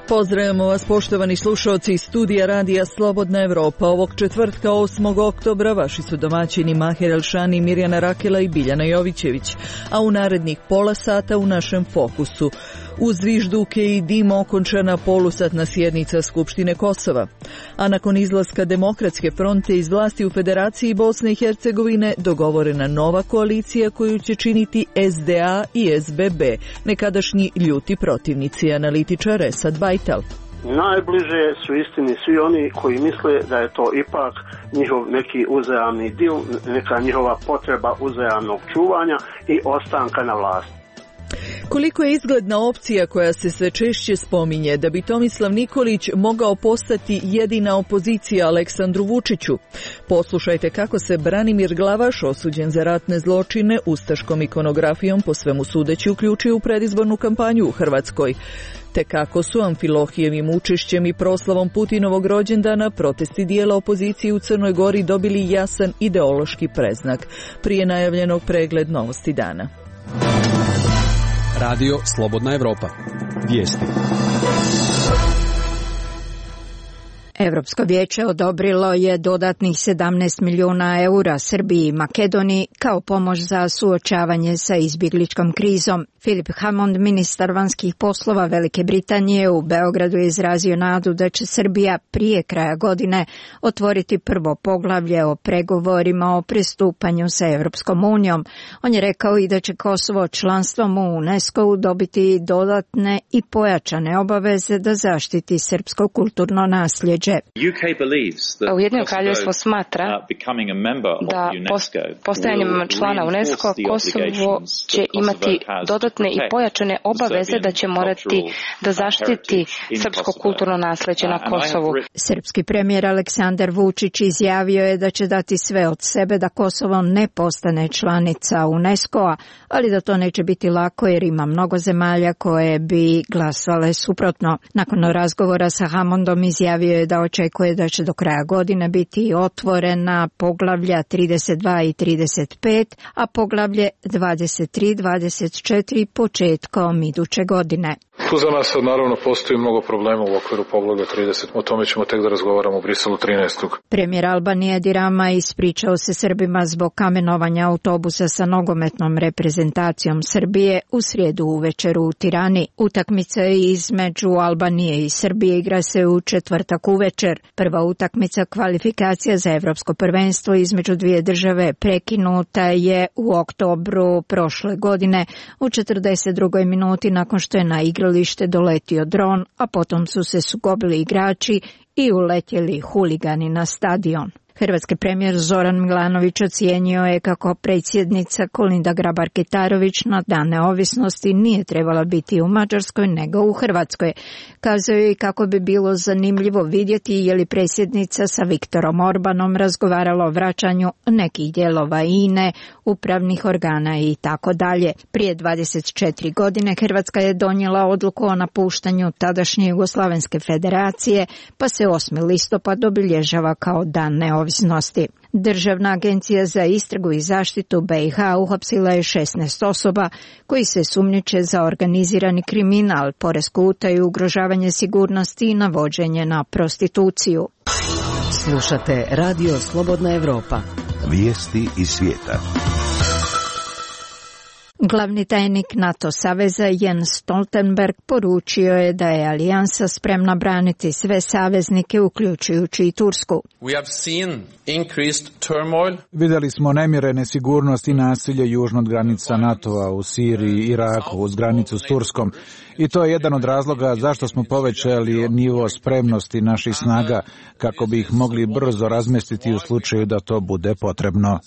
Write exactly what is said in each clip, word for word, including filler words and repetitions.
Pozdravljamo vas, poštovani slušalci iz studija Radija Slobodna Evropa. Ovog četvrtka osmog oktobra vaši su domaćini Maher Elšani, Mirjana Rakela i Biljana Jovićević, a u narednih pola sata u našem fokusu. Uz zvižduke i dim okončana polusatna sjednica Skupštine Kosova. A nakon izlaska Demokratske fronte iz vlasti u Federaciji Bosne i Hercegovine dogovorena nova koalicija koju će činiti S D A i S B B, nekadašnji ljuti protivnici, analitičar Esad Bajtal. Najbliže su istini svi oni koji misle da je to ipak njihov neki uzajamni dil, neka njihova potreba uzajamnog čuvanja i ostanka na vlasti. Koliko je izgledna opcija koja se sve češće spominje da bi Tomislav Nikolić mogao postati jedina opozicija Aleksandru Vučiću? Poslušajte kako se Branimir Glavaš, osuđen za ratne zločine, ustaškom ikonografijom po svemu sudeći uključio u predizbornu kampanju u Hrvatskoj. Te kako su Amfilohijevim učešćem i proslavom Putinovog rođendana protesti dijela opozicije u Crnoj Gori dobili jasan ideološki predznak. Prije najavljenog pregled novosti dana. Radio Slobodna Evropa. Vijesti. Europsko vijeće odobrilo je dodatnih sedamnaest milijuna eura Srbiji i Makedoniji kao pomoć za suočavanje sa izbjegličkom krizom. Philip Hammond, ministar vanjskih poslova Velike Britanije, u Beogradu je izrazio nadu da će Srbija prije kraja godine otvoriti prvo poglavlje o pregovorima o pristupanju sa Europskom unijom. On je rekao i da će Kosovo članstvom u UNESCO-u dobiti dodatne i pojačane obaveze da zaštiti srpsko kulturno nasljeđe. Ujedinjeno kraljevstvo smatra da postajanjem člana UNESCO Kosovo će imati dodatne i pojačane obaveze da će morati da zaštiti srpsko kulturno nasljeđe na Kosovu. Srpski premijer Aleksandar Vučić izjavio je da će dati sve od sebe da Kosovo ne postane članica UNESCO-a, ali da to neće biti lako jer ima mnogo zemalja koje bi glasale suprotno. Nakon razgovora sa Hammondom izjavio je da očekuje da će do kraja godine biti otvorena poglavlja trideset dva i trideset pet, a poglavlje dvadeset tri i dvadeset četiri početkom iduće godine. Tu za nas naravno postoji mnogo problema u okviru poglavlja trideset. O tome ćemo tek da razgovaramo u Briselu trinaestog. Premijer Albanije Edi Rama ispričao se Srbima zbog kamenovanja autobusa sa nogometnom reprezentacijom Srbije u srijedu uvečer u Tirani. Utakmica između Albanije i Srbije igra se u četvrtak uvečer. Prva utakmica kvalifikacija za Evropsko prvenstvo između dvije države prekinuta je u oktobru prošle godine u četrdeset drugoj minuti nakon što je na igralište doletio dron, a potom su se sukobili igrači i uletjeli huligani na stadion. Hrvatski premijer Zoran Milanović ocijenio je kako predsjednica Kolinda Grabar-Kitarović na dan neovisnosti nije trebala biti u Mađarskoj nego u Hrvatskoj. Kazao je i kako bi bilo zanimljivo vidjeti je li predsjednica sa Viktorom Orbanom razgovarala o vraćanju nekih dijelova I N E, upravnih organa i tako dalje. Prije dvadeset četiri godine Hrvatska je donijela odluku o napuštanju tadašnje Jugoslavenske federacije, pa se osmi listopad obilježava kao dan neovisnosti. Državna agencija za istragu i zaštitu B i H uhapsila je šesnaest osoba koji se sumnjiče za organizirani kriminal, poresku utaju, ugrožavanje sigurnosti i navođenje na prostituciju. Slušate Radio Slobodna Evropa. Vijesti iz svijeta. Glavni tajnik NATO saveza Jens Stoltenberg poručio je da je alijansa spremna braniti sve saveznike, uključujući i Tursku. Vidjeli smo nemire, nesigurnost i nasilje južno od granica NATO-a u Siriji i Iraku uz granicu s Turskom. I to je jedan od razloga zašto smo povećali nivo spremnosti naših snaga kako bi ih mogli brzo razmestiti u slučaju da to bude potrebno.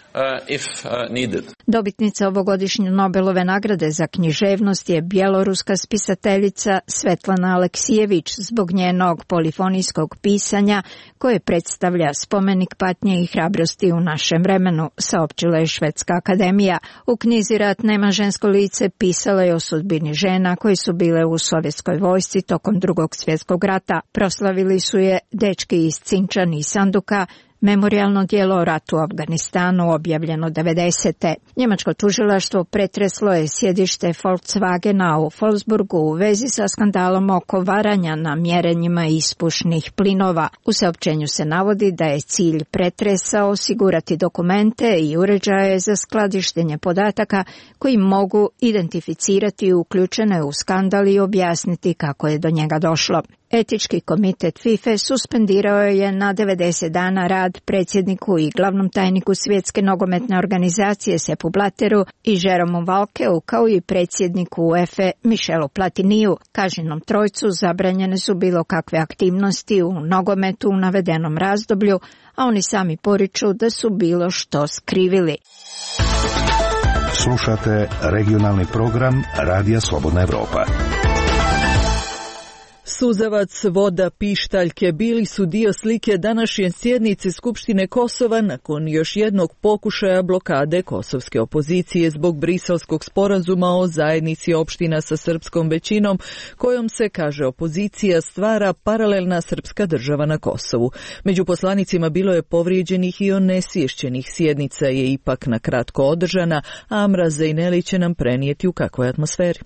Dobitnica ovogodišnje Nobelove nagrade za književnost je bjeloruska spisateljica Svetlana Aleksijević zbog njenog polifonijskog pisanja koje predstavlja spomenik patnje i hrabrosti u našem vremenu, saopćila je Švedska akademija. U knjizi Rat nema žensko lice pisala je o sudbini žena koji su bile u sovjetskoj vojsci tokom Drugog svjetskog rata. Proslavili su je dečki iz Cinčan i Sanduka, Memorijalno djelo o ratu u Afganistanu objavljeno devedesete. Njemačko tužilaštvo pretreslo je sjedište Volkswagena u Wolfsburgu u vezi sa skandalom oko varanja na mjerenjima ispušnih plinova. U saopćenju se navodi da je cilj pretresa osigurati dokumente i uređaje za skladištenje podataka koji mogu identificirati uključene u skandal i objasniti kako je do njega došlo. Etički komitet FIFA suspendirao je na devedeset dana rad predsjedniku i glavnom tajniku Svjetske nogometne organizacije Seppu Blatteru i Jeromu Valkeu, kao i predsjedniku UEFA Michelu Platiniju. Kažnjenom trojcu zabranjene su bilo kakve aktivnosti u nogometu u navedenom razdoblju, a oni sami poriču da su bilo što skrivili. Slušate regionalni program Radija Slobodna Evropa. Suzavac, voda, pištaljke bili su dio slike današnje sjednice Skupštine Kosova nakon još jednog pokušaja blokade kosovske opozicije zbog Briselskog sporazuma o zajednici opština sa srpskom većinom, kojom se, kaže opozicija, stvara paralelna srpska država na Kosovu. Među poslanicima bilo je povrijeđenih i onesvješćenih. Sjednica je ipak na kratko održana, a Amra Zejneli će nam prenijeti u kakvoj atmosferi.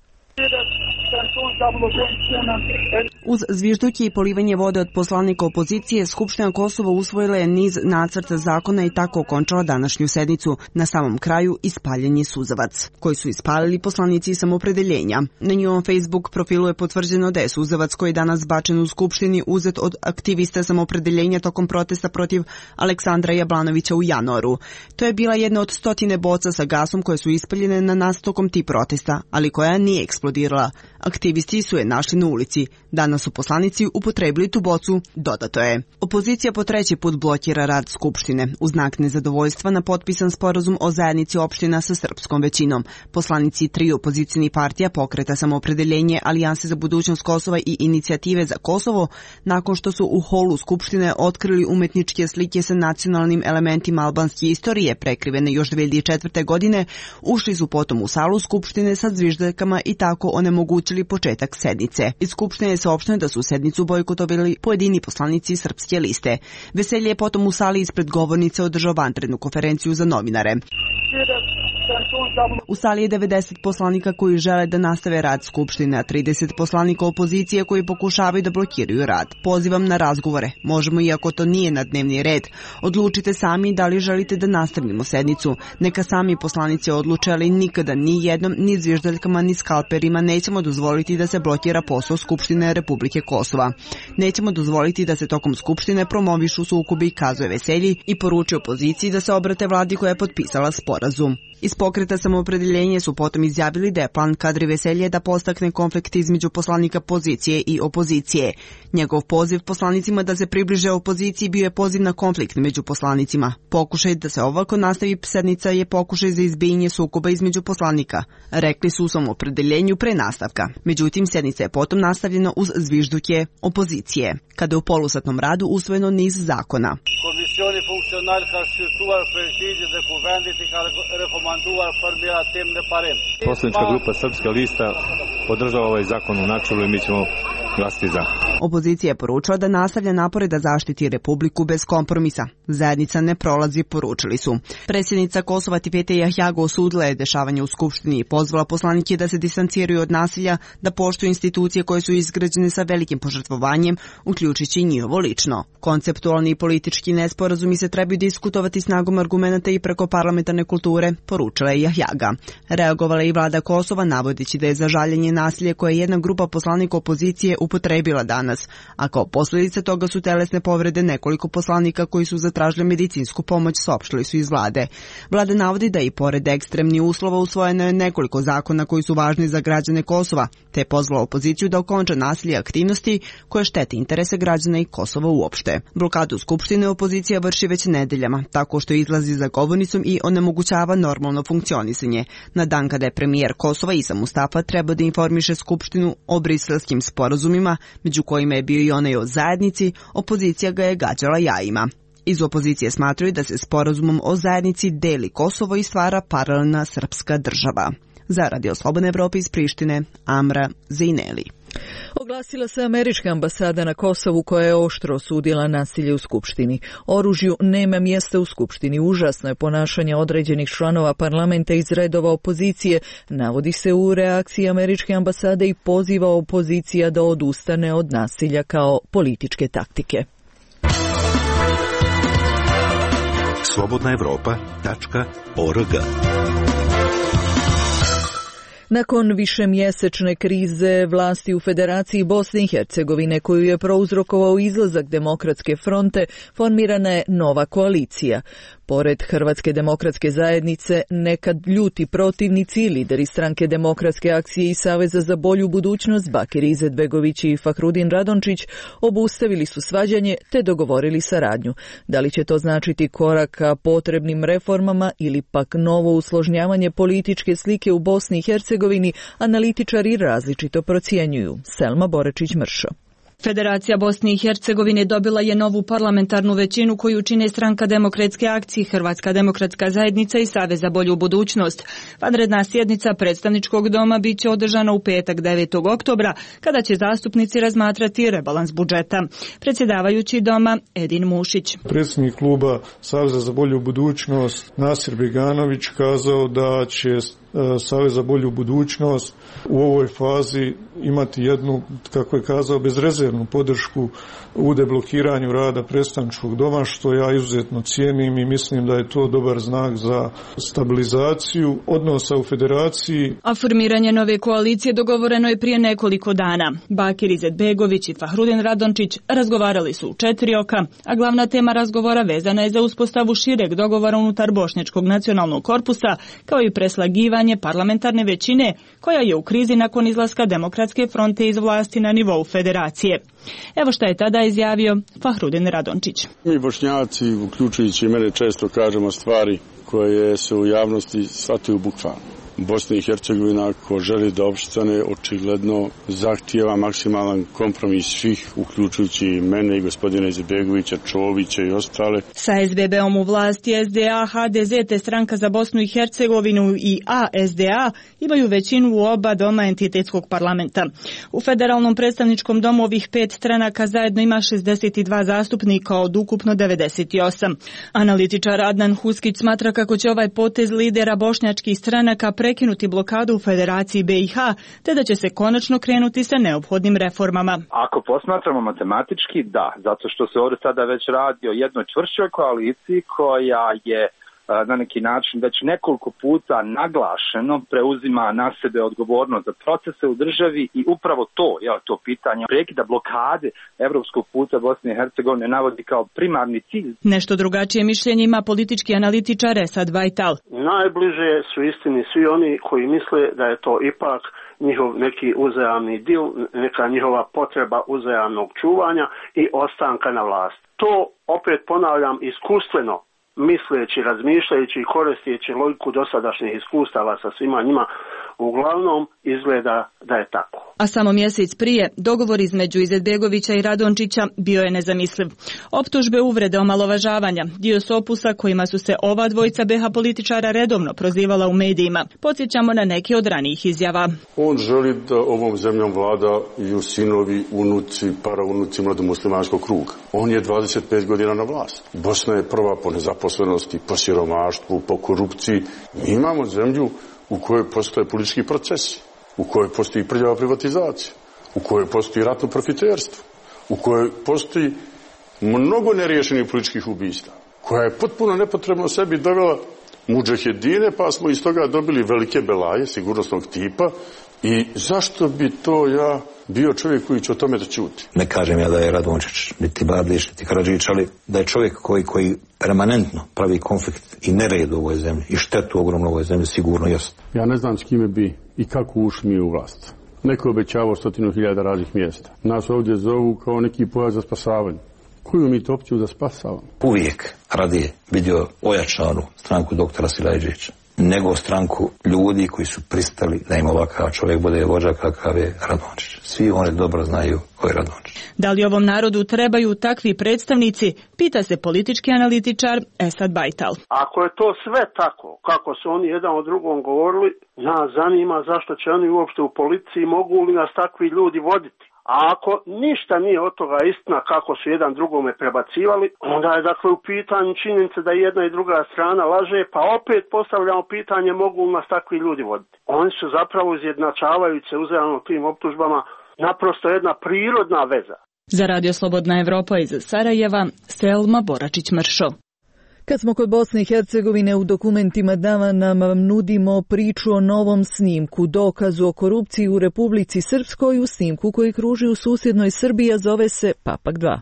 Uz zvižduke i polivanje vode od poslanika opozicije, Skupština Kosova usvojila je niz nacrta zakona i tako okončala današnju sednicu. Na samom kraju ispaljen je suzavac, koji su ispalili poslanici samopredeljenja. Na njihovom Facebook profilu je potvrđeno da je suzavac koji je danas bačen u Skupštini uzet od aktivista samopredeljenja tokom protesta protiv Aleksandra Jablanovića u januaru. To je bila jedna od stotine boca sa gasom koje su ispaljene na nas tokom tih protesta, ali koja nije eksplodirala. Aktivisti su je našli na ulici. Danas su poslanici upotrebili tu bocu, dodato je. Opozicija po treći put blokira rad Skupštine. U znak nezadovoljstva na potpisan sporazum o zajednici opština sa srpskom većinom. Poslanici tri opozicijnih partija, Pokreta samoopredeljenje, Alijanse za budućnost Kosova i Inicijative za Kosovo, nakon što su u holu Skupštine otkrili umetničke slike sa nacionalnim elementima albanske istorije, prekrivene još dve hiljade četvrte. godine, ušli su potom u salu Skupštine sa zviždaljkama i tako onemogućili početak sednice. Iz Skupštine je saopšteno da su sednicu bojkotovali pojedini poslanici Srpske liste. Veselje je potom u sali ispred govornice održao vanrednu konferenciju za novinare. U sali je devedeset poslanika koji žele da nastave rad Skupštine, a trideset poslanika opozicije koji pokušavaju da blokiraju rad. Pozivam na razgovore. Možemo, iako to nije na dnevni red. Odlučite sami da li želite da nastavimo sednicu. Neka sami poslanici odluče, ali nikada ni jednom, ni zviždaljkama, ni skalperima nećemo dozvoliti da se blokira posao Skupštine Republike Kosova. Nećemo dozvoliti da se tokom Skupštine promovišu sukobi, kazuje Veselji i poručio opoziciji da se obrate vladi koja je potpisala sporazum. Iz Pokreta samoopredeljenja su potom izjavili da je plan Kadri Veselje da postakne konflikt između poslanika pozicije i opozicije. Njegov poziv poslanicima da se približe opoziciji bio je poziv na konflikt među poslanicima. Pokušaj da se ovako nastavi sednica je pokušaj za izbijanje sukoba između poslanika, rekli su u samoopredeljenju pre nastavka. Međutim, sednica je potom nastavljena uz zvižduke opozicije, kada je u polusatnom radu usvojeno niz zakona. Komisioni funkcionari ka shqyrtuar përgjigje dhe kuvendit i ka rekomanduar formirat tim në parim. Poslanička grupa Srpska lista podržava ovaj zakon u načelu i mi ćemo glasiti za. Opozicija je poručila da nastavlja napore da zaštiti Republiku bez kompromisa. Zajednica ne prolazi, poručili su. Predsjednica Kosova Tipete Jahjago osudila je dešavanje u Skupštini i pozvala poslanike da se distanciraju od nasilja, da poštuju institucije koje su izgrađene sa velikim požrtvovanjem, uključujući i njihovo lično. Konceptualni i politički nesporazumi se trebaju diskutovati snagom argumenata i preko parlamentarne kulture, poručila je Jahjaga. Reagovala je i vlada Kosova, navodeći da je za žaljenje nasilje koje jedna grupa poslanika opozicije upotrebila danas, a kao posljedice toga su telesne povrede nekoliko poslanika koji su zatražili medicinsku pomoć, saopštili su iz vlade. Vlada navodi da i pored ekstremnih uslova usvojeno je nekoliko zakona koji su važni za građane Kosova, te je pozvala opoziciju da okonča nasilje i aktivnosti koje štete interese građana i Kosova uopšte. Blokadu Skupštine opozicija vrši već nedeljama, tako što izlazi za govornicom i onemogućava normalno funkcionisanje. Na dan kada je premijer Kosova Isa Mustafa treba da informiše Skupštinu o briselskim sporazumima, među kojima je bio i onaj o zajednici, opozicija ga je gađala jajima. Iz opozicije smatraju da se sporazumom o zajednici deli Kosovo i stvara paralelna srpska država. Za Radio Slobodne Evrope iz Prištine, Amra Zejneli. Oglasila se američka ambasada na Kosovu koja je oštro osudila nasilje u Skupštini. Oružju nema mjesta u Skupštini. Užasno je ponašanje određenih članova parlamenta iz redova opozicije, navodi se u reakciji američke ambasade i poziva opozicija da odustane od nasilja kao političke taktike. slobodna evropa tačka org. Nakon višemjesečne krize vlasti u Federaciji Bosne i Hercegovine koju je prouzrokovao izlazak Demokratske fronte, formirana je nova koalicija. Pored Hrvatske demokratske zajednice, nekad ljuti protivnici, lideri stranke Demokratske akcije i Saveza za bolju budućnost Bakir Izetbegović i Fahrudin Radončić obustavili su svađanje te dogovorili saradnju. Da li će to značiti korak ka potrebnim reformama ili pak novo usložnjavanje političke slike u Bosni i Hercegovini, analitičari različito procjenjuju. Selma Borečić-Mršo. Federacija Bosne i Hercegovine dobila je novu parlamentarnu većinu koju čine stranka Demokratske akcije, Hrvatska demokratska zajednica i Savez za bolju budućnost. Vanredna sjednica predstavničkog doma bit će održana u petak devetog oktobra, kada će zastupnici razmatrati rebalans budžeta. Predsjedavajući doma Edin Mušić. Predsjednik kluba Saveza za bolju budućnost Nasir Beganović kazao da će Savez za bolju budućnost u ovoj fazi imati jednu, kako je kazao, bezrezervnu podršku u deblokiranju rada predstavničkog doma, što ja izuzetno cijenim i mislim da je to dobar znak za stabilizaciju odnosa u federaciji. A formiranje nove koalicije dogovoreno je prije nekoliko dana. Bakir Izetbegović i Fahrudin Radončić razgovarali su u četiri oka, a glavna tema razgovora vezana je za uspostavu šireg dogovora unutar Bošnjačkog nacionalnog korpusa, kao i preslagivanje parlamentarne većine koja je u krizi nakon izlaska Demokratske fronte iz vlasti na nivou federacije. Evo šta je tada izjavio Fahrudin Radončić. Mi Bošnjaci, uključujući mene, često kažemo stvari koje se u javnosti shvataju bukvalno. Bosna i Hercegovina, ako želi da opstane, očigledno zahtijeva maksimalan kompromis svih, uključujući mene i gospodina Izetbegovića, Čovića i ostale. Sa es be be-om u vlasti es de a, ha de ze te stranka za Bosnu i Hercegovinu i a es de a imaju većinu u oba doma entitetskog parlamenta. U federalnom predstavničkom domu ovih pet stranaka zajedno ima šezdeset dva zastupnika od ukupno devedeset osam. Analitičar Adnan Huskić smatra kako će ovaj potez lidera bošnjačkih stranaka prekinuti blokadu u Federaciji be i ha, te da će se konačno krenuti sa neophodnim reformama. Ako posmatramo matematički, da, zato što se ovdje sada već radi o jednoj čvršćoj koaliciji koja je na neki način već nekoliko puta naglašeno preuzima na sebe odgovornost za procese u državi i upravo to, je to pitanje prekida blokade evropskog puta Bosne i Hercegovine navodi kao primarni cilj. Nešto drugačije mišljenje ima politički analitičar Esad Bajtal. Najbliže su istini svi oni koji misle da je to ipak njihov neki uzajamni dil, neka njihova potreba uzajamnog čuvanja i ostanka na vlasti. To, opet ponavljam, iskustveno misleći, razmišljajući i koristeći logiku dosadašnjih iskustava sa svima njima, uglavnom izgleda da je tako. A samo mjesec prije, dogovor između Izetbegovića i Radončića bio je nezamisliv. Optužbe, uvrede, omalovažavanja, dio su opusa kojima su se ova dvojica be ha političara redovno prozivala u medijima. Podsjećamo na neke od ranijih izjava. On želi da ovom zemljom vladaju sinovi, unuci, paraunuci mladomuslimanskog kruga. On je dvadeset pet godina na vlast. Bosna je prva po nezaposlenosti, po siromaštvu, po korupciji. Mi imamo zemlju u kojoj postoje politički procesi, u kojoj postoji prljava privatizacija, u kojoj postoji ratno profiterstvo, u kojoj postoji mnogo neriješenih političkih ubistava, koja je potpuno nepotrebno sebi dovela mudžahedine, pa smo iz toga dobili velike belaje sigurnosnog tipa. I zašto bi to ja bio čovjek koji će o tome da ćuti? Ne kažem ja da je Radončić, niti Badlić, niti Karadžić, ali da je čovjek koji, koji permanentno pravi konflikt i nered u ovoj zemlji i štetu ogromno u ovoj zemlji, sigurno jest. Ja ne znam s kime bi i kako ušli mi u vlast. Neko je obećavao stotinu hiljada raznih mjesta. Nas ovdje zovu kao neki pojas za spasavanje. Koju mi to opciju da spasavamo? Uvijek radije vidio ojačanu stranku doktora Silajđića nego stranku ljudi koji su pristali da im ovakav čovjek bude vođa kakav je Radončić. Svi oni dobro znaju ko je Radončić. Da li ovom narodu trebaju takvi predstavnici, pita se politički analitičar Esad Bajtal. Ako je to sve tako, kako su oni jedan o drugom govorili, nas zanima zašto će oni uopšte u policiji, mogu li nas takvi ljudi voditi. A ako ništa nije od toga istina kako su jedan drugome prebacivali, onda je dakle u pitanju činjenica da jedna i druga strana laže, pa opet postavljamo pitanje mogu li nas takvi ljudi voditi. Oni su zapravo izjednačavajući se uzajamno tim optužbama naprosto jedna prirodna veza. Za Radio Slobodna Evropa iz Sarajeva, Selma Boračić-Mršo. Kad smo kod Bosne i Hercegovine, u dokumentima dana nam nudimo priču o novom snimku, dokazu o korupciji u Republici Srpskoj, u snimku koji kruži u susjednoj Srbiji, a zove se Papak dva.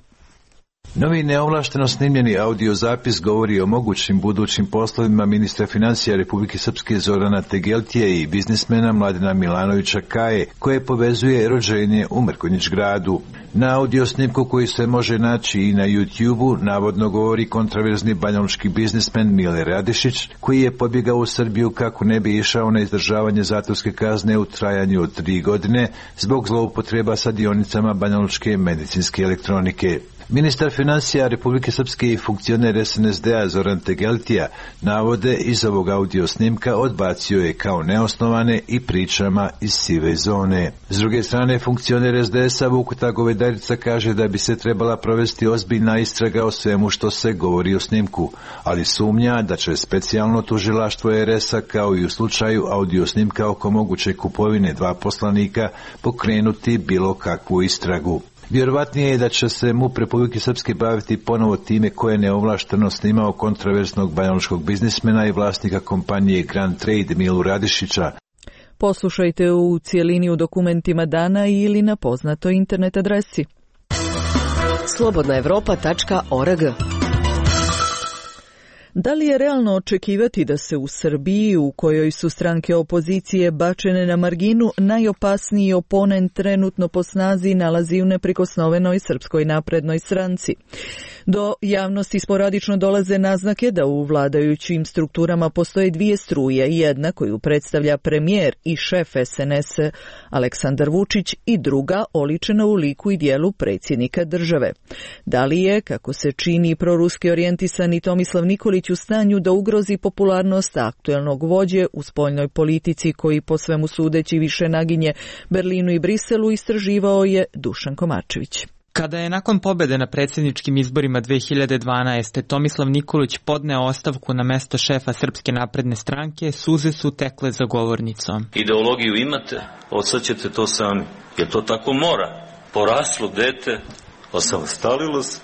Novi neovlašteno snimljeni audio zapis govori o mogućim budućim poslovima ministra financija Republike Srpske Zorana Tegeltije i biznismena Mladena Milanovića Kaje, koje povezuje rođenje u Mrkonjić gradu. Na audio snimku koji se može naći i na YouTube-u navodno govori kontraverzni banjalučki biznismen Mile Radišić, koji je pobjegao u Srbiju kako ne bi išao na izdržavanje zatvorske kazne u trajanju od tri godine zbog zloupotreba sa dionicama banjalučke medicinske elektronike. Ministar financija Republike Srpske i funkcioner es en es de-a Zoran Tegeltija navode iz ovog audio snimka odbacio je kao neosnovane i pričama iz sive zone. S druge strane, funkcioner es de es-a Vukuta Govedarica kaže da bi se trebala provesti ozbiljna istraga o svemu što se govori o snimku, ali sumnja da će specijalno tužilaštvo er es-a kao i u slučaju audio snimka oko moguće kupovine dva poslanika pokrenuti bilo kakvu istragu. Vjerovatnije je da će se MUP Republike Srpske baviti ponovo time koje je neovlašteno snimao kontraverznog banjalučkog biznismena i vlasnika kompanije Grand Trade Milu Radišića. Poslušajte u cijelini u dokumentima dana ili na poznatoj internet adresi slobodna evropa tačka org. Da li je realno očekivati da se u Srbiji, u kojoj su stranke opozicije bačene na marginu, najopasniji oponent trenutno po snazi nalazi u neprikosnovenoj Srpskoj naprednoj stranci? Do javnosti sporadično dolaze naznake da u vladajućim strukturama postoje dvije struje, jedna koju predstavlja premijer i šef es en es Aleksandar Vučić i druga oličena u liku i dijelu predsjednika države. Da li je, kako se čini, proruski orijentisani Tomislav Nikolić u stanju da ugrozi popularnost aktuelnog vođe u spoljnoj politici koji po svemu sudeći više naginje Berlinu i Briselu, istraživao je Dušan Komarčević. Kada je nakon pobjede na predsjedničkim izborima dve hiljade dvanaeste. Tomislav Nikolić podneo ostavku na mesto šefa Srpske napredne stranke, suze su tekle za govornicom. Ideologiju imate, osjećate to sami, jer to tako mora. Poraslo dete, osamostalilo se.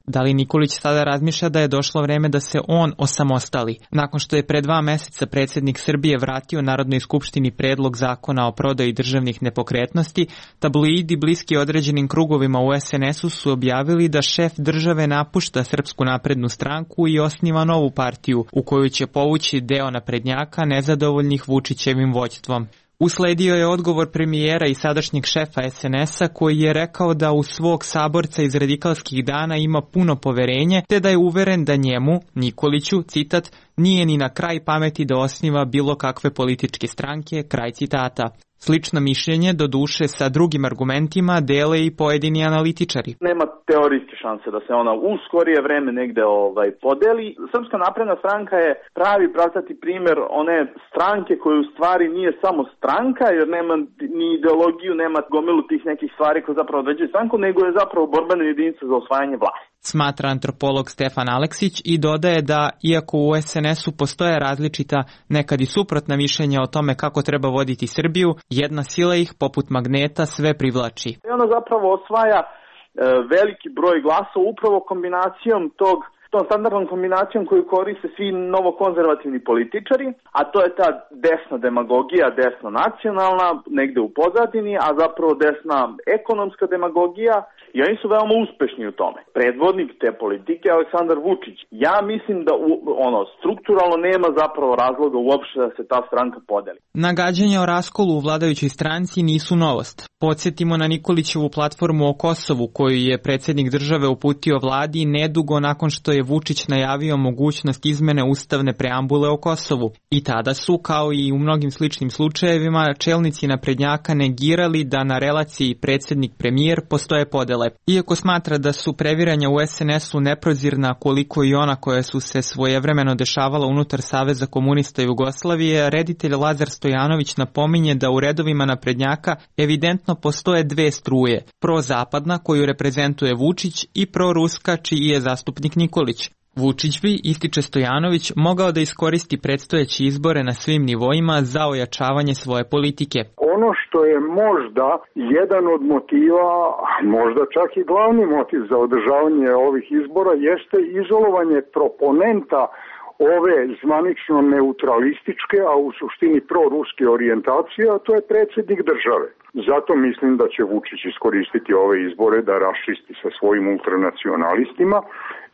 Da li Nikolić sada razmišlja da je došlo vreme da se on osamostali? Nakon što je pre dva meseca predsjednik Srbije vratio Narodnoj skupštini predlog zakona o prodaji državnih nepokretnosti, tabloidi bliski određenim krugovima u es en es-u su objavili da šef države napušta Srpsku naprednu stranku i osniva novu partiju u koju će povući deo naprednjaka nezadovoljnih Vučićevim vođstvom. Usledio je odgovor premijera i sadašnjeg šefa es en es-a koji je rekao da u svog saborca iz radikalskih dana ima puno poverenje, te da je uveren da njemu, Nikoliću, citat, nije ni na kraj pameti da osniva bilo kakve političke stranke, kraj citata. Slično mišljenje, do duše sa drugim argumentima, dele i pojedini analitičari. Nema teorijske šanse da se ona u skorije vreme negde ovaj, podeli. Srpska napredna stranka je pravi pravcati primjer one stranke koje u stvari nije samo stranka, jer nema ni ideologiju, nema gomilu tih nekih stvari koje zapravo određuju stranku, nego je zapravo borbena jedinica za osvajanje vlasti. Smatra antropolog Stefan Aleksić i dodaje da, iako u es en es-u postoje različita, nekad i suprotna mišljenja o tome kako treba voditi Srbiju, jedna sila ih, poput magneta, sve privlači. I ona zapravo osvaja e, veliki broj glasova upravo kombinacijom tog tom standardnom kombinacijom koju koriste svi novokonzervativni političari, a to je ta desna demagogija, desno nacionalna, negde u pozadini, a zapravo desna ekonomska demagogija, i oni su veoma uspešni u tome. Predvodnik te politike je Aleksandar Vučić. Ja mislim da u, ono strukturalno nema zapravo razloga uopšte da se ta stranka podeli. Nagađanja o raskolu u vladajućoj stranci nisu novost. Podsjetimo na Nikolićevu platformu o Kosovu koju je predsjednik države uputio vladi nedugo nakon što je Vučić najavio mogućnost izmene ustavne preambule o Kosovu. I tada su, kao i u mnogim sličnim slučajevima, čelnici naprednjaka negirali da na relaciji predsjednik-premijer postoje podele. podele. Iako smatra da su previranja u es en esu neprozirna koliko i ona koja su se svojevremeno dešavala unutar Saveza komunista Jugoslavije, reditelj Lazar Stojanović napominje da u redovima naprednjaka evidentno postoje dve struje, prozapadna koju reprezentuje Vučić i proruska čiji je zastupnik Nikolić. Vučić bi, ističe Stojanović, mogao da iskoristi predstojeće izbore na svim nivoima za ojačavanje svoje politike. Ono što je možda jedan od motiva, možda čak i glavni motiv za održavanje ovih izbora jeste izolovanje proponenta ove zvanično neutralističke, a u suštini proruske orijentacije, a to je predsjednik države. Zato mislim da će Vučić iskoristiti ove izbore da raščisti sa svojim ultranacionalistima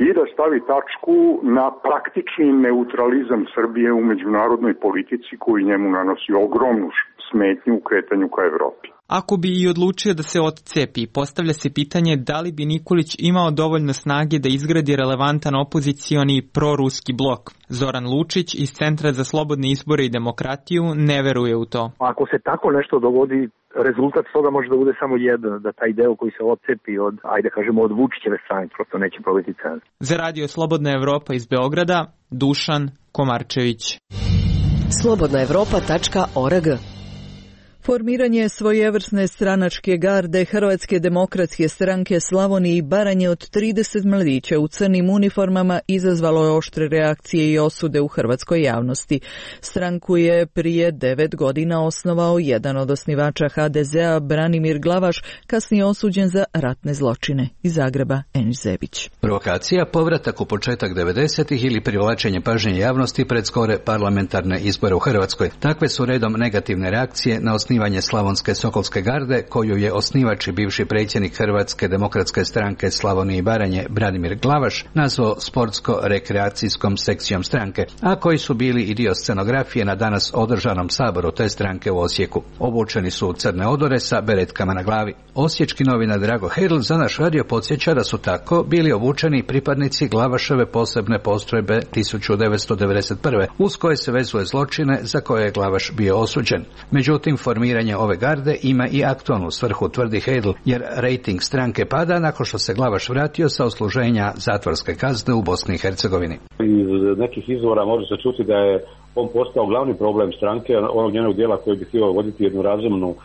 i da stavi tačku na praktični neutralizam Srbije u međunarodnoj politici koji njemu nanosi ogromnu smetnju u kretanju ka Evropi. Ako bi i odlučio da se odcepi, postavlja se pitanje da li bi Nikolić imao dovoljno snage da izgradi relevantan opozicioni proruski blok. Zoran Lučić iz Centra za slobodne izbore i demokratiju ne veruje u to. Ako se tako nešto dogodi, rezultat toga može da bude samo jedan, da taj deo koji se odcepi od, ajde kažemo, od Vučićeve strane, prosto neće probiti cenu. Za Radio Slobodna Evropa iz Beograda, Dušan Komarčević. slobodna evropa tačka org. Formiranje svojevrsne stranačke garde Hrvatske demokratske stranke Slavonije i Baranje od trideset mladića u crnim uniformama izazvalo je oštre reakcije i osude u hrvatskoj javnosti. Stranku je prije devet godina osnovao jedan od osnivača ha de zea, Branimir Glavaš, kasnije osuđen za ratne zločine. Iz Zagreba, Enis Zebić. Provokacija, povratak u početak devedesetih ili privlačenje pažnje javnosti pred skore parlamentarne izbore u Hrvatskoj. Takve su redom negativne reakcije na osnivanje osnivanje Slavonske Sokolske garde, koju je osnivač i bivši predsjednik Hrvatske demokratske stranke Slavonije i Baranje Branimir Glavaš nazvao sportsko-rekreacijskom sekcijom stranke, a koji su bili i dio scenografije na danas održanom saboru te stranke u Osijeku. Obučeni su u crne odore sa beretkama na glavi. Osječki novinar Drago Hedl za naš radio podsjeća da su tako bili obučeni pripadnici Glavaševe posebne postrojbe tisuću devetsto devedeset prve, uz koje se vezuje zločine za koje je Glavaš bio osuđen. Međutim, formiranje ove garde ima i aktualnu svrhu, tvrdi Hedl, jer rejting stranke pada nakon što se Glavaš vratio sa odsluženja zatvorske kazne u Bosni i Hercegovini. Iz nekih izvora može se čuti da je on postao glavni problem stranke, onog njenog dijela koji bi htio voditi jednu razumnu,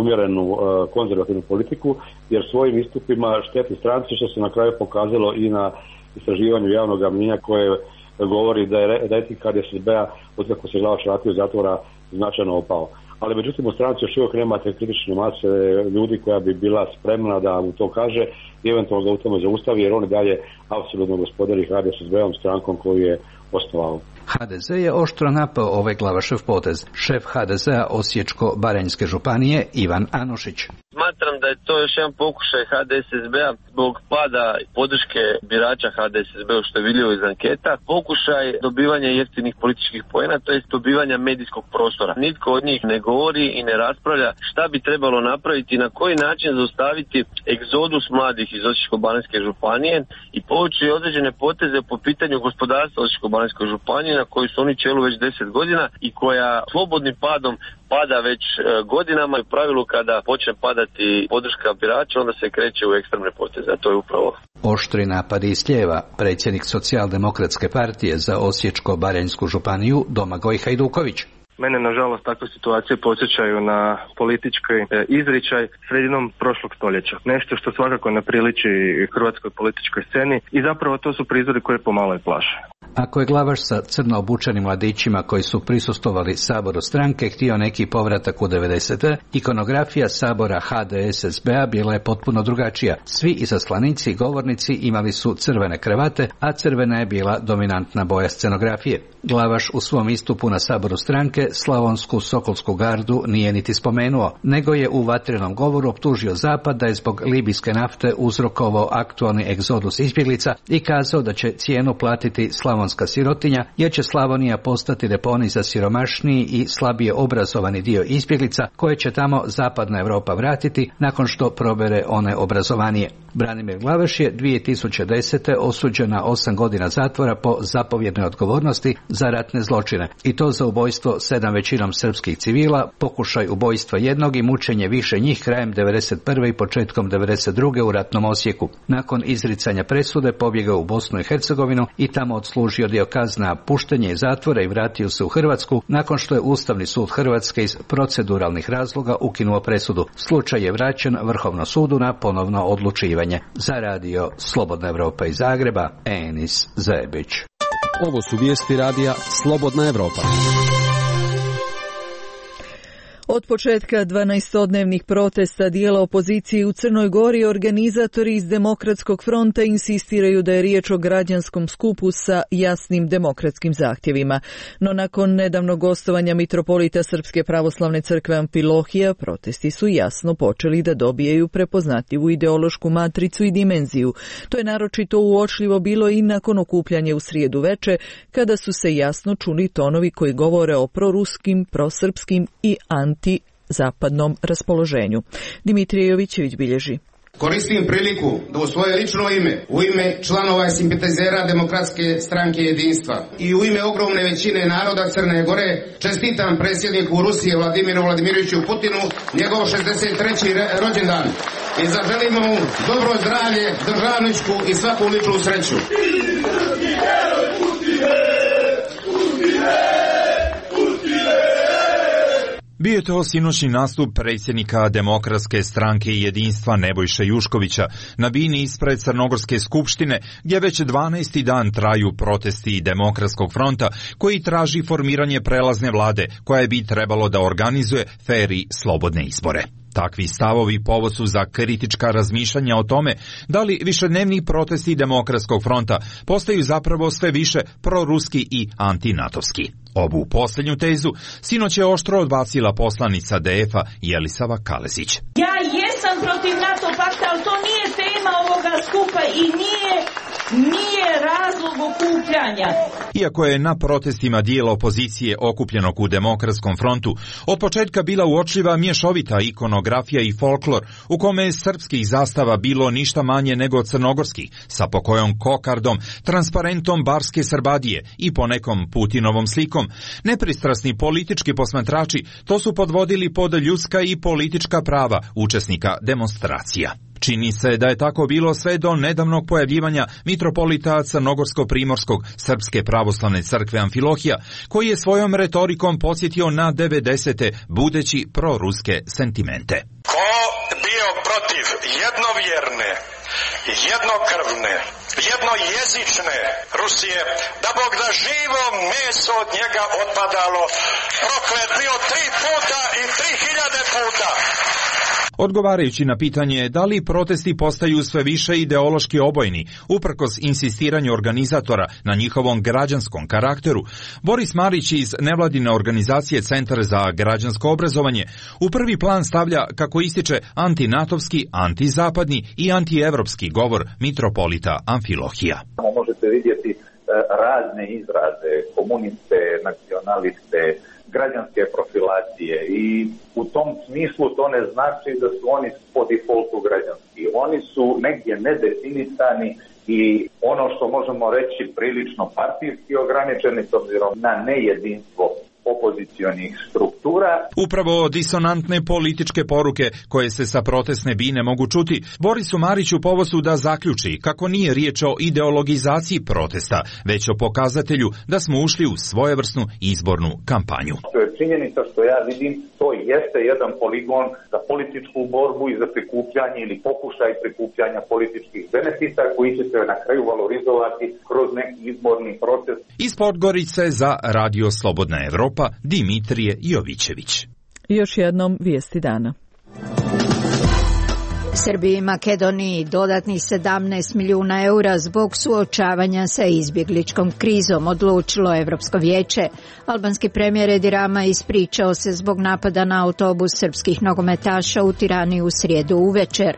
umjerenu konzervativnu politiku, jer svojim istupima šteti stranci, što se na kraju pokazalo i na istraživanju javnog mnijenja koje govori da je rejting ha de es be-a od kako se Glavaš vratio iz zatvora značajno opao. Ali međutim u stranci još uvijek nema te kritične mase ljudi koja bi bila spremna da mu to kaže i eventualno ga u tome zaustavi, jer on je dalje apsolutno gospodari ha de es be-om, strankom koju je osnovao. ha de ze je oštro napao ovaj Glavašev potez. Šef ha de zea Osječko-baranjske županije Ivan Anušić. Smatram da je to još jedan pokušaj ha de es be-a zbog pada podrške birača ha de es be-u, što je vidljivo iz anketa, pokušaj dobivanja jeftinih političkih poena, to jest dobivanja medijskog prostora. Nitko od njih ne govori i ne raspravlja šta bi trebalo napraviti i na koji način zaustaviti egzodus mladih iz Osječko-baranjske županije i povući određene poteze po pitanju gospodarstva Osječko-baranjske županije na koju su oni čelu već deset godina i koja slobodnim padom pada već godinama i u pravilu kada počne padati podrška birača, onda se kreće u ekstremne poteze, a to je upravo. Oštri napadi iz lijeva, predsjednik Socijaldemokratske partije za Osječko-baranjsku županiju Domagoj Hajduković. Mene, nažalost, takve situacije podsjećaju na politički izričaj sredinom prošlog stoljeća. Nešto što svakako ne priliči hrvatskoj političkoj sceni i zapravo to su prizori koje pomalo i plaše. Ako je Glavaš sa crno obučenim mladićima koji su prisustvovali saboru stranke htio neki povratak u devedesete, ikonografija sabora ha de es be-a bila je potpuno drugačija. Svi izaslanici i govornici imali su crvene kravate, a crvena je bila dominantna boja scenografije. Glavaš u svom istupu na saboru stranke Slavonsku Sokolsku gardu nije niti spomenuo, nego je u vatrenom govoru optužio Zapad da je zbog libijske nafte uzrokovao aktualni egzodus izbjeglica i kazao da će cijenu platiti Slavonska slavonska sirotinja, jer će Slavonija postati deponij za siromašniji i slabije obrazovani dio izbjeglica koje će tamo zapadna Europa vratiti nakon što probere one obrazovanije. Branimir Glavaš je dvije tisuće desete. osuđen na osam godina zatvora po zapovjednoj odgovornosti za ratne zločine, i to za ubojstvo sedam većinom srpskih civila, pokušaj ubojstva jednog i mučenje više njih krajem devedeset prve i početkom devedeset druge u ratnom Osijeku. Nakon izricanja presude pobjegao u Bosnu i Hercegovinu i tamo odslužio dio kazne, puštenje iz zatvora i vratio se u Hrvatsku nakon što je Ustavni sud Hrvatske iz proceduralnih razloga ukinuo presudu. Slučaj je vraćen Vrhovnom sudu na ponovno odlučivanje. Za radio Slobodna Evropa iz Zagreba, Enis Zebić. Ovo su vijesti radija Slobodna Evropa. Od početka dvanaestodnevnih protesta dijela opozicije u Crnoj Gori organizatori iz Demokratskog fronta insistiraju da je riječ o građanskom skupu sa jasnim demokratskim zahtjevima. No nakon nedavnog gostovanja mitropolita Srpske pravoslavne crkve Amfilohija, protesti su jasno počeli da dobijaju prepoznatljivu ideološku matricu i dimenziju. To je naročito uočljivo bilo i nakon okupljanja u srijedu veče, kada su se jasno čuli tonovi koji govore o proruskim, prosrpskim i anti-zapadnom raspoloženju. Dimitrije Jovićević bilježi. Koristim priliku da u svoje lično ime, u ime članova i simpatizera Demokratske stranke jedinstva i u ime ogromne većine naroda Crne Gore čestitam predsjedniku Rusije Vladimiru Vladimiroviću Putinu njegov šezdeset treći rođendan i zaželimo mu dobro zdravlje, državničku i svaku ličnu sreću. Bio je to sinoćni nastup predsjednika Demokratske stranke i jedinstva Nebojše Juškovića na bini ispred Crnogorske skupštine, gdje već dvanaesti dan traju protesti Demokratskog fronta koji traži formiranje prelazne vlade koja bi trebalo da organizuje fer i slobodne izbore. Takvi stavovi povod su za kritička razmišljanja o tome da li višednevni protesti Demokratskog fronta postaju zapravo sve više proruski i antinatovski. Ovu posljednju tezu sinoć je oštro odbacila poslanica D F-a Jelisava Kalezić. Ja jesam protiv NATO pakta, ali to nije tema ovoga skupa i nije nije razlog okupljanja. Iako je na protestima dijela opozicije okupljenog u Demokratskom frontu od početka bila uočljiva mješovita ikonografija i folklor u kome je srpskih zastava bilo ništa manje nego crnogorskih, sa pokojom kokardom, transparentom barske Srbadije i ponekom Putinovom slikom, nepristrasni politički posmatrači to su podvodili pod ljudska i politička prava učesnika demonstracija. Čini se da je tako bilo sve do nedavnog pojavljivanja mitropolita Crnogorsko-Primorskog Srpske pravoslavne crkve Amfilohija, koji je svojom retorikom podsjetio na devedesete budeći proruske sentimente. Ko bio protiv jednovjerne, jednokrvne, jednojezične Rusije, da Bog da živo meso od njega otpadalo, proklet bio tri puta i tri hiljade puta. Odgovarajući na pitanje da li protesti postaju sve više ideološki obojni, uprkos insistiranju organizatora na njihovom građanskom karakteru, Boris Marić iz nevladine organizacije Centar za građansko obrazovanje u prvi plan stavlja, kako ističe, antinatovski, antizapadni i antievropski govor mitropolita Amfilohija. Možete vidjeti razne izraze, komuniste, nacionaliste, građanske profilacije i u tom smislu to ne znači da su oni po defaultu građanski. Oni su negdje nedefinisani i ono što možemo reći prilično partijski ograničeni s obzirom na nejedinstvo opozicionih struktura. Upravo disonantne političke poruke koje se sa protestne bine mogu čuti, Borisu Mariću povod su da zaključi kako nije riječ o ideologizaciji protesta, već o pokazatelju da smo ušli u svojevrsnu izbornu kampanju. To je činjenica što ja vidim, to jeste jedan poligon za političku borbu i za prikupljanje ili pokušaj prikupljanja političkih benefita koji će se na kraju valorizovati kroz neki izborni proces. Iz Podgorice za Radio Slobodna Evropa, Dimitrije Jovićević. Još jednom vijesti dana. Srbiji i Makedoniji dodatnih sedamnaest milijuna eura zbog suočavanja sa izbjegličkom krizom, odlučilo Evropsko vijeće. Albanski premijer Edi Rama ispričao se zbog napada na autobus srpskih nogometaša u Tirani u srijedu uvečer.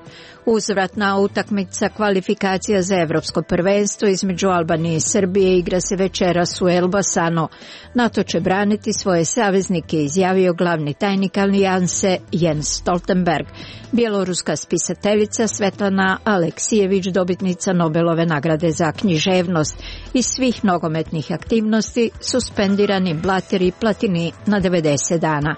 Uzvratna utakmica kvalifikacija za evropsko prvenstvo između Albanije i Srbije igra se večeras u Elbasanu. NATO će braniti svoje saveznike, izjavio glavni tajnik alijanse Jens Stoltenberg. Bjeloruska spisateljica Svetlana Aleksijević, dobitnica Nobelove nagrade za književnost. Iz svih nogometnih aktivnosti suspendirani Blatter i Platini na devedeset dana.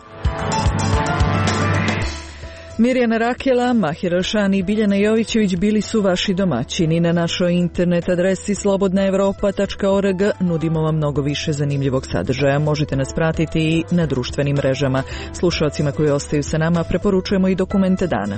Mirjana Rakela, Mahir Elšani i Biljana Jovićević bili su vaši domaćini. Na našoj internet adresi slobodna evropa tačka org nudimo vam mnogo više zanimljivog sadržaja. Možete nas pratiti i na društvenim mrežama. Slušalcima koji ostaju sa nama preporučujemo i dokumente dana.